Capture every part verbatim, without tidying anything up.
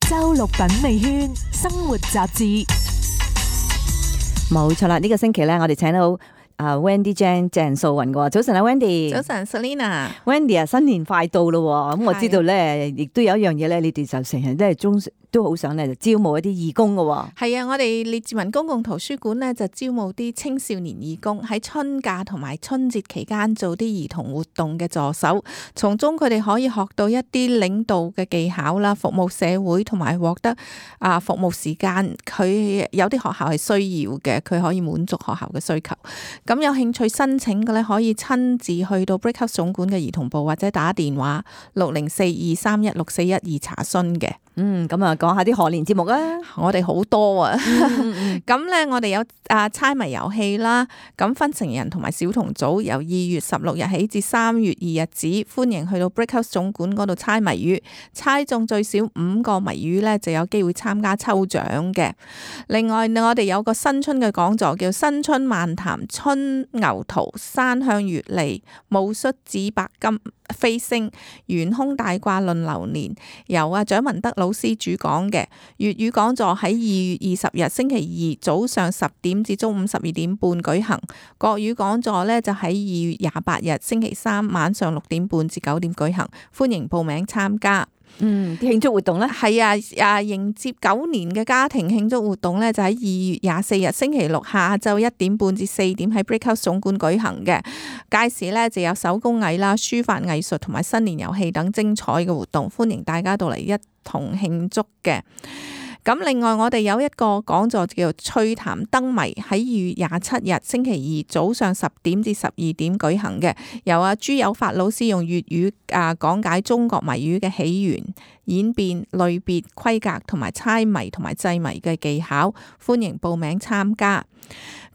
周六品味圈生活雜誌。冇錯啦，呢、這個星期咧，我哋請到啊 Wendy Chan 鄭素雲嘅。早晨啊 Wendy。早晨 Selina。Wendy 啊，新年快到咯，咁我知道咧，亦都有一樣嘢咧，你哋就成日都係中都好想咧，就招募一啲義工嘅。係啊，我哋列治文公共圖書館咧就招募啲青少年義工喺春假同埋春節期間做啲兒童活動嘅助手，從中佢哋可以學到一啲領導嘅技巧啦，服務社會同埋獲得啊服務時間。佢有啲學校係需要嘅，佢可以滿足學校嘅需求。咁有興趣申請嘅咧，可以親自去到 Brickhouse 總館嘅兒童部，或者打電話六零四二三一六四一二查詢嘅。嗯，咁啊，講下啲賀年節目啊！我哋好多啊，嗯咁咧我哋有啊猜謎遊戲啦，咁分成人同埋小童組，由二月十六日起至三月二日止，歡迎去到 Brickhouse 總館嗰度猜謎語，猜中最少五個謎語咧就有機會參加抽獎嘅。另外我哋有個新春嘅講座，叫新春漫談春牛圖山向月利戊戌紫白金飛星元空大卦論流年，由阿蔣文德老師主講嘅。粵語講座喺二月二十日星期二早上十點至中午十二點半舉行，國語講座呢就喺二月廿八日星期三晚上六點半至九點舉行，歡迎報名參加。嗯，啲慶祝活動咧，係啊，啊迎接九年嘅家庭慶祝活動咧，就喺二月廿四日星期六下晝一點半至四點喺 Brickhouse 總館舉行嘅。屆時咧就有手工藝啦、書法藝術同埋新年遊戲等精彩嘅活動，歡迎大家到嚟一同慶祝嘅。咁另外我哋有一個講座叫做趣談燈謎，喺二月廿七日星期二早上十點至十二點舉行嘅，由阿朱有發老師用粵語啊講解中國謎語嘅起源、演變、類別、規格同埋猜謎同埋製謎嘅技巧，歡迎報名參加。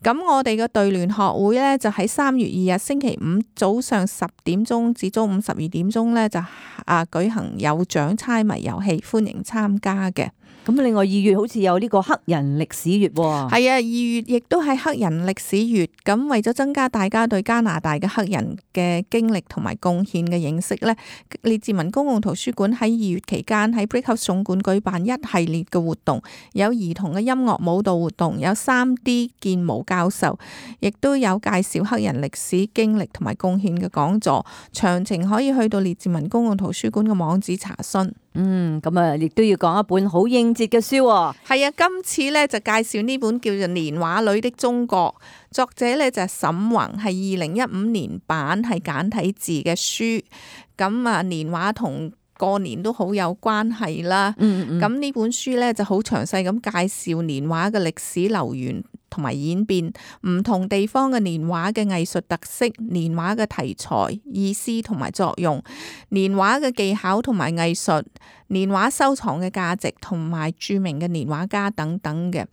咁我哋嘅對聯學會咧就喺三月二日星期五早上十點鐘至中午十二點鐘咧就啊舉行有獎猜謎遊戲，歡迎參加嘅。咁另外二月好似有呢個黑人歷史月喎。係啊，二月亦都係黑人歷史月。咁為咗增加大家對加拿大嘅黑人嘅經歷同埋貢獻嘅認識咧，列治文公共圖書館喺二月期間喺 Brickhouse 總館舉辦一系列嘅活動，有兒童嘅音樂舞蹈活動，有 三 D 建模教授，亦都有介紹黑人歷史經歷同埋貢獻嘅講座。詳情可以去到列治文公共圖書館嘅網址查詢。嗯，咁啊，亦都要講一本好應節嘅書。係啊，今次咧就介紹呢本叫做《年畫裏的中國》，作者咧就係沈宏，係二零一五年版，係簡體字嘅書。咁啊，年畫同過年都好有關係啦。嗯嗯。咁呢本書咧就好詳細咁介紹年畫嘅歷史流源同埋演變，唔同地方嘅年畫嘅藝術特色、年畫嘅題材、意思同埋作用、年畫嘅技巧同埋藝術、年畫收藏嘅價值同埋著名嘅年畫家等等嘅。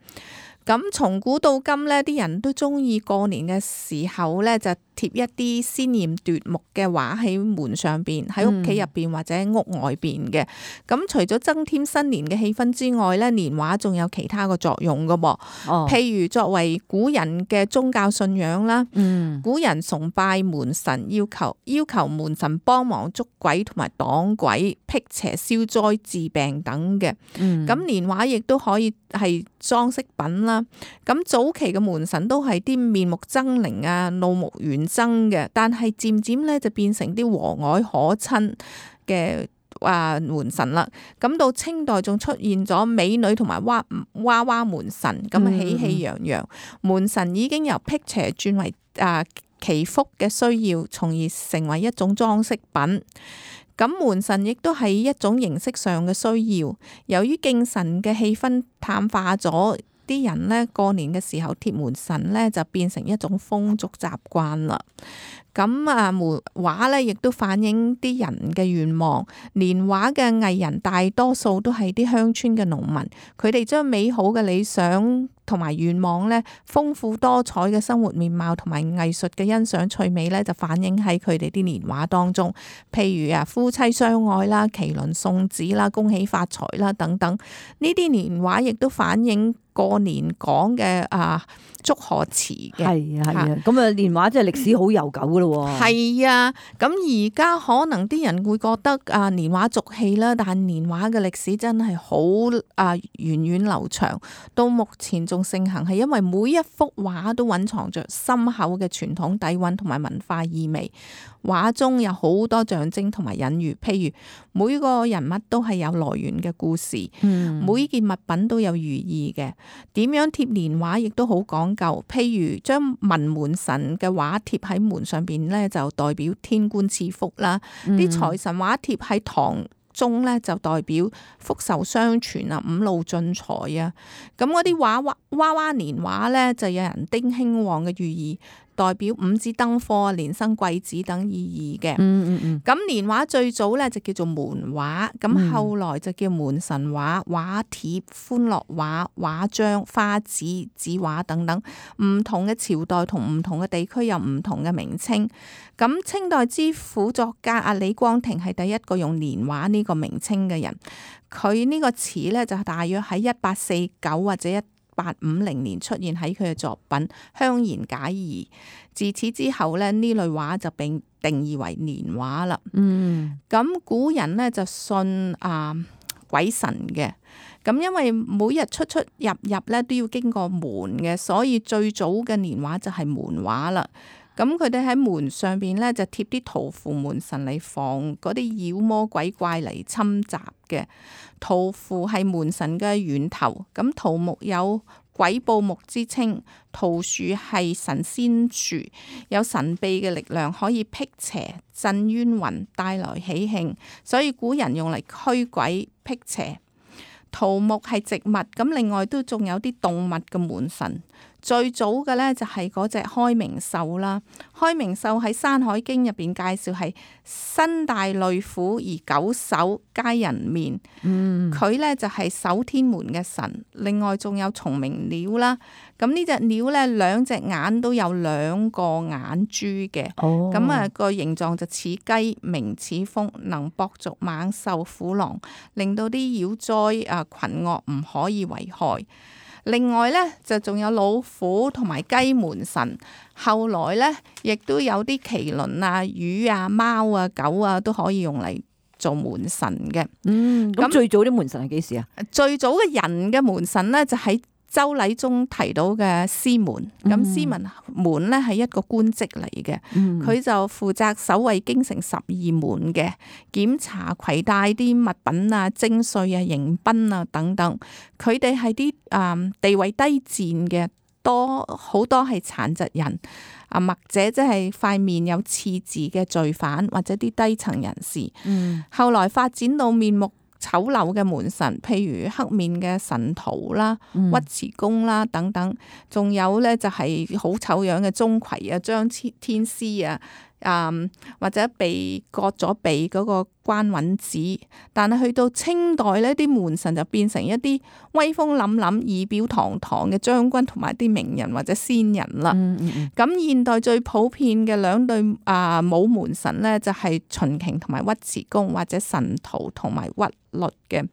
咁從古到今呢，啲人都中意過年嘅時候呢，就貼一啲鮮豔奪目嘅畫喺門上邊，喺屋企入邊或者屋外邊嘅。咁、嗯、除咗增添新年嘅氣氛之外呢，年畫仲有其他個作用噶噃。哦，譬如作為古人嘅宗教信仰啦，嗯，古人崇拜門神，要求要求門神幫忙捉鬼同埋擋鬼、辟邪消災治病等嘅。嗯，咁年畫亦都可以係裝飾品啦。咁早期嘅門神都係啲面目猙獰啊、怒目圓睜嘅，但係漸漸咧就變成啲和藹可親嘅啊門神啦。咁到清代仲出現咗美女同埋娃娃娃門神，咁啊喜氣洋洋。嗯、門神已經由辟邪轉為啊祈福嘅需要，從而成為一種裝飾品。咁門神亦都係一種形式上嘅需要，由於敬神嘅氣氛淡化咗，啲人咧過年嘅時候貼門神咧就變成一種風俗習慣啦。咁啊，門畫咧亦都反映啲人嘅願望。年畫嘅藝人大多數都係啲鄉村嘅農民，佢哋將美好嘅理想同埋願望咧，豐富多彩嘅生活面貌同埋藝術嘅欣賞趣味咧，就反映喺佢哋啲年畫當中。譬如啊，夫妻相愛啦、麒麟送子啦、恭喜發財啦等等，呢啲年畫亦都反映過年講嘅啊祝賀詞嘅。係啊係啊，咁啊年畫真係歷史好悠久噶咯喎。係啊，咁而家可能啲人會覺得啊年畫俗氣啦，但係年畫嘅歷史真係好啊源遠流長，到目前仲盛行，係因為每一幅畫都蘊藏着深厚嘅傳統底蘊同埋文化意味。畫中有好多象徵同埋隱喻，譬如每個人物都係有來源嘅故事，嗯、每件物品都有寓意嘅。點樣貼年畫亦都好講究，譬如將文門神嘅畫貼喺門上邊咧，就代表天官賜福啦；啲、嗯、財神畫貼喺堂中咧，就代表福壽雙全啊、五路進財啊。咁嗰啲畫畫娃娃年畫咧，就有人丁興旺嘅寓意，代表五子登科、連生貴子等意義嘅。嗯嗯嗯。咁年畫最早咧就叫做門畫，咁後來就叫門神畫、畫帖、歡樂畫、畫章、花紙、紙畫等等。唔同嘅朝代同唔同嘅地區有唔同嘅名稱。咁清代之輔作家阿李光庭係第一個用年畫呢個名稱嘅人。佢呢個詞咧就大約喺一八四九或者一八五零年出現喺佢嘅作品《香言解疑》。自此之後咧，呢類畫就被定義為年畫啦。嗯，咁古人咧就信啊鬼神嘅，咁因為每日出出入入咧都要經過門嘅，所以最早嘅年畫就係門畫啦。咁佢哋喺門上邊咧就貼啲圖符門神嚟防嗰啲妖魔鬼怪嚟侵襲嘅。圖符係門神嘅源頭，咁桃木有鬼報木之稱，桃樹係神仙樹，有神秘嘅力量，可以辟邪、鎮冤魂、帶來喜慶，所以古人用嚟驅鬼辟邪。桃木係植物，咁另外都仲有啲動物嘅門神。最早嘅咧就係嗰隻開明獸啦。開明獸喺《山海經》入邊介紹係身帶類虎而九首皆人面。嗯，佢咧就係守天門嘅神。另外仲有蟲鳴鳥啦。咁呢隻鳥咧兩隻眼都有兩個眼珠嘅。哦，咁啊個形狀就似雞，名似風，能搏逐猛獸虎狼，令到啲妖災啊群惡唔可以為害。另外咧就仲有老虎同埋雞門神，後來咧亦都有啲麒麟啊、魚啊、貓啊、狗啊都可以用嚟做門神嘅。嗯，咁最早啲門神係幾時啊？最早嘅人嘅門神咧就喺周禮中提到嘅司門，咁司門門咧係一個官職嚟嘅，佢、嗯、就負責守衛京城十二門嘅，檢查攜帶啲物品啊、徵稅啊、迎賓啊等等。佢哋係啲誒地位低賤嘅，多好多係殘疾人啊，或者即係塊面有刺字嘅罪犯或者啲低層人士。嗯，後來發展到面目醜陋嘅門神，譬如黑面嘅神荼啦、尉遲恭啦等等，仲有咧就係好醜樣嘅鍾馗啊、張天師啊，嗯，或者被割咗鼻嗰個關允子。但係去到清代呢啲門神就變成一啲威風凜凜、儀表堂堂嘅將軍同埋啲名人或者仙人啦。咁、嗯嗯、現代最普遍嘅兩對啊武門神咧，就係秦瓊同埋尉遲恭，或者神荼同埋尉律嘅。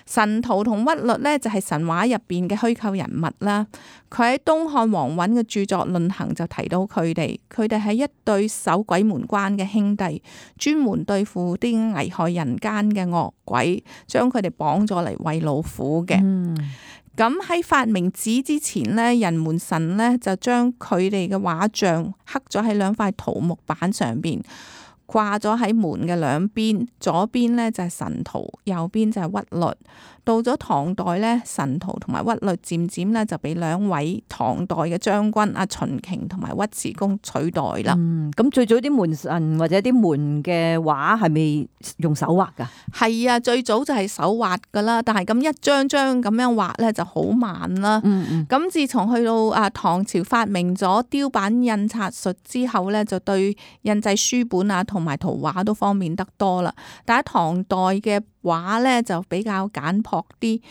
神荼同尉律咧就係神話入邊嘅虛構人物啦。佢喺東漢王允嘅著作《論衡》就提到佢哋，佢哋係一對守鬼門關嘅兄弟，專門對付啲危害人間嘅惡鬼，將佢哋綁咗嚟餵老虎嘅。咁喺、嗯、發明紙之前咧，人門神咧就將佢哋嘅畫像刻咗喺兩塊桃木板上邊，掛咗喺門嘅兩邊，左邊咧就係神荼，右邊就係尉律。到咗唐代咧，神荼同埋尉律漸漸咧就俾兩位唐代嘅將軍阿秦瓊同埋尉遲恭取代啦。嗯，咁最早啲門神或者啲門嘅畫係咪用手畫噶？係啊，最早就係手畫噶啦，但係咁一張張咁樣畫咧就好慢啦。嗯嗯。咁自從去到啊唐朝發明咗雕版印刷術之後咧，就對印製書本啊同埋圖畫都方便得多啦。但係唐代嘅畫咧就比較簡樸啲，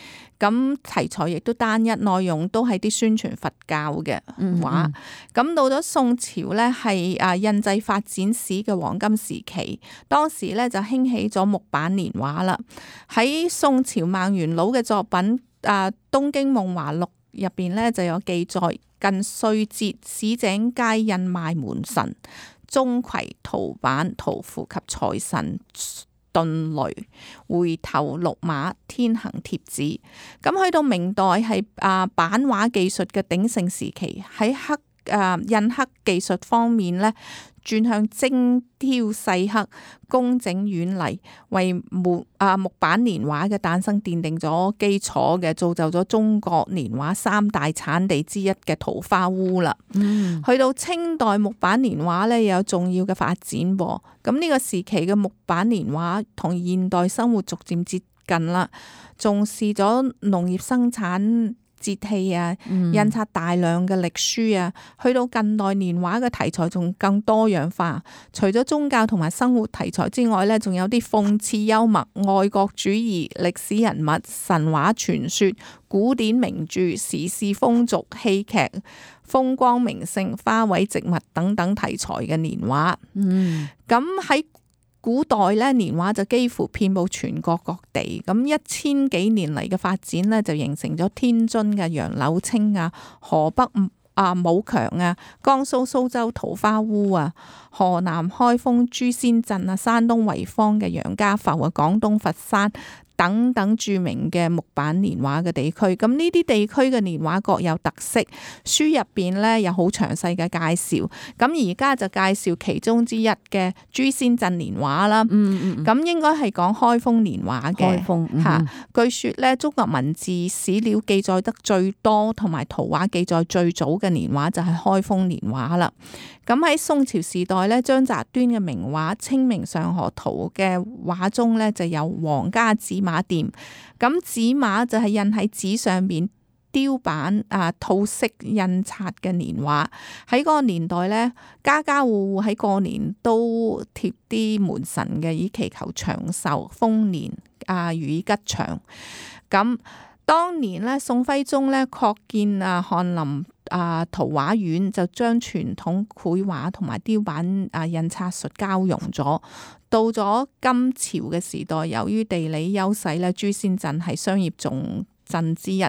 咁題材亦都單一，內容都係啲宣傳佛教嘅畫。咁、嗯、到咗宋朝咧，係啊印製發展史嘅黃金時期，當時咧就興起咗木版年畫啦。喺宋朝孟元老嘅作品啊《東京夢華錄》入邊咧就有記載，近歲節市井皆印賣門神、鍾馗、圖版、圖符及財神遁雷、回頭鹿馬、天行貼紙。咁去到明代係啊版畫技術嘅鼎盛時期，喺刻啊印刻技術方面咧，轉向精挑細刻、工整遠麗，為木啊木版年畫嘅誕生奠定咗基礎嘅，造就咗中國年畫三大產地之一嘅桃花坞啦。嗯，去到清代木版年畫咧，有重要嘅發展噃。咁呢個時期嘅木版年畫同現代生活逐漸接近啦，重視咗農業生產、節氣啊，印刷大量嘅歷書啊，去到近代年畫嘅題材仲更多樣化。除咗宗教同埋生活題材之外咧，仲有啲諷刺幽默、愛國主義、歷史人物、神話傳說、古典名著、時事風俗、戲劇、風光名勝、花卉植物等等題材嘅年畫。嗯，咁喺古代咧，年畫就幾乎遍佈全國各地。咁一千幾年嚟嘅發展咧，就形成咗天津嘅楊柳青啊、河北啊武強啊、江蘇蘇州桃花坞啊、河南開封朱仙鎮啊、山東濰坊嘅楊家埠啊、廣東佛山等等著名嘅木版年畫嘅地區。咁呢啲地區嘅年畫各有特色，書入邊咧有好詳細嘅介紹。咁而家就介紹其中之一嘅朱仙鎮年畫啦。嗯嗯。咁應該係講開封年畫嘅。開封。嚇、嗯，據說咧，中國文字史料記載得最多同埋圖畫記載最早嘅年畫就係開封年畫啦。咁喺宋朝時代咧，張擇端嘅名畫《清明上河圖》嘅畫中咧，就有皇家紙馬店。咁紙馬就係印喺紙上面雕版啊套式印刷嘅年畫。喺嗰個年代咧，家家戶戶喺過年都貼啲門神嘅，以祈求長壽豐年啊，如意吉祥。咁當年咧，宋徽宗咧擴建啊翰林啊圖畫院，就將傳統繪畫同埋雕版啊印刷術交融咗。到咗金朝嘅時代，由於地理優勢咧，朱仙鎮係商業重鎮之一，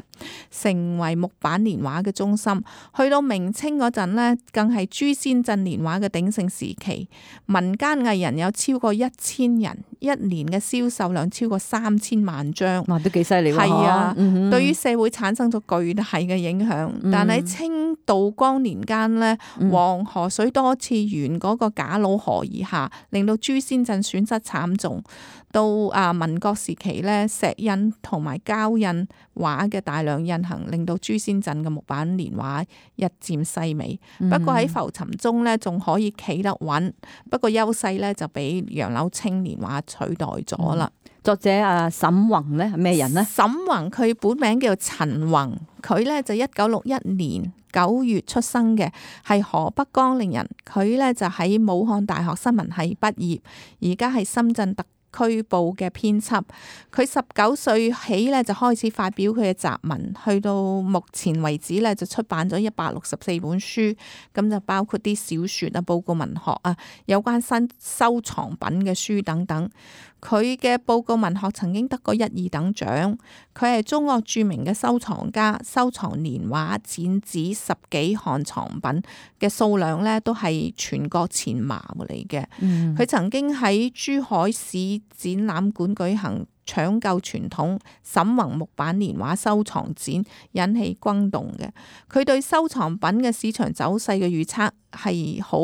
成為木版年畫嘅中心。去到明清嗰陣呢，更係朱仙鎮年畫嘅鼎盛時期。民間藝人有超過一千人，一年嘅銷售量超過三千萬張。哇，都幾犀利喎！係啊，嗯、對於社會產生咗巨大嘅影響。嗯、但喺清道光年間呢，黃河水多次沿嗰個賈佬河而下，令到朱仙鎮損失慘重。到啊民國時期咧，石印同埋膠印畫嘅大量印行，令到朱仙鎮嘅木版年畫日漸式微。嗯、不過喺浮沉中咧，仲可以企得穩。不過優勢咧就俾楊柳青年畫取代咗啦。嗯、作者啊沈宏咧係咩人呢？沈宏佢本名叫做陳宏，佢咧就一九六一年九月出生嘅，係河北江陵人。佢咧就喺武漢大學新聞系畢業，而家係深圳特區報嘅編輯。佢十九歲起咧就開始發表佢嘅雜文，去到目前為止咧就出版咗一百六十四本書，咁就包括啲小說啊、報告文學啊、有關新收藏品嘅書等等。佢嘅報告文學曾經得過一二等獎。佢係中國著名嘅收藏家，收藏年畫展紙十幾項藏品嘅數量咧都係全國前茅嚟嘅。佢、嗯、曾經喺珠海市展覽館舉行搶救傳統沈宏木版年畫收藏展，引起轟動嘅。佢對收藏品嘅市場走勢嘅預測係好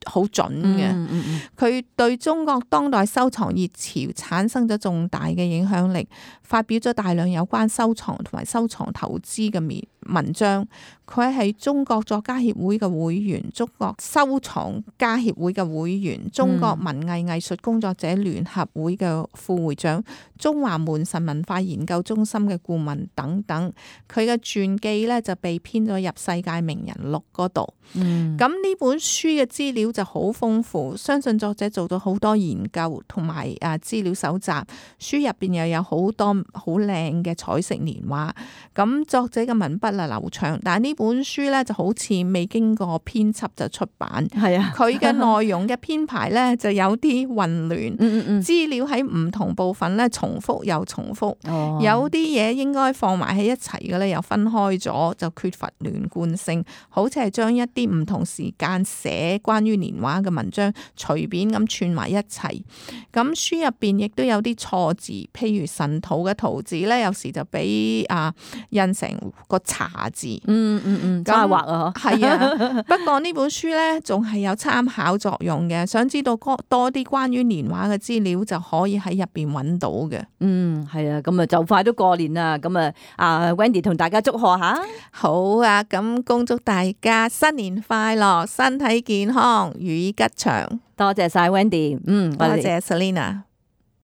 好準嘅。佢、嗯嗯嗯、對中國當代收藏熱潮產生咗重大嘅影響力，發表咗大量有關收藏同埋收藏投資嘅文章。佢係中國作家協會嘅會員，中國收藏家協會嘅會員，中國文藝藝術工作者聯合會嘅副會長，中華門神文化研究中心嘅顧問等等。佢嘅傳記咧就被編咗入世界名人錄嗰度。咁呢、嗯、本書嘅資料料就好豐富，相信作者做到好多研究同埋啊資料搜集，書入邊又有好多好靚嘅彩色年畫。咁作者嘅文筆啊流暢，但係呢本書咧就好似未經過編輯就出版，係啊，佢嘅內容嘅編排咧就有啲混亂，嗯嗯嗯，資料喺唔同部分咧重複又重複，哦，有啲嘢應該放埋喺一齊嘅咧又分開咗，就缺乏連貫性，好似係將一啲唔同時間寫關於年畫嘅文章隨便咁串埋一齊。咁書入邊亦都有啲錯字，譬如神徒嘅徒字咧，有時就俾啊印成個茶字。嗯嗯嗯，加畫啊，係啊，不過呢本書咧仲係有參考作用嘅，想知道多啲關於年畫嘅資料就可以喺入邊揾到嘅。嗯，係啊，咁啊就快都過年啦，咁啊啊 Wendy 同大家祝賀下。好啊，咁恭祝大家新年快樂，身體健康，如意吉祥。多謝晒 Wendy，嗯，多謝 Selina。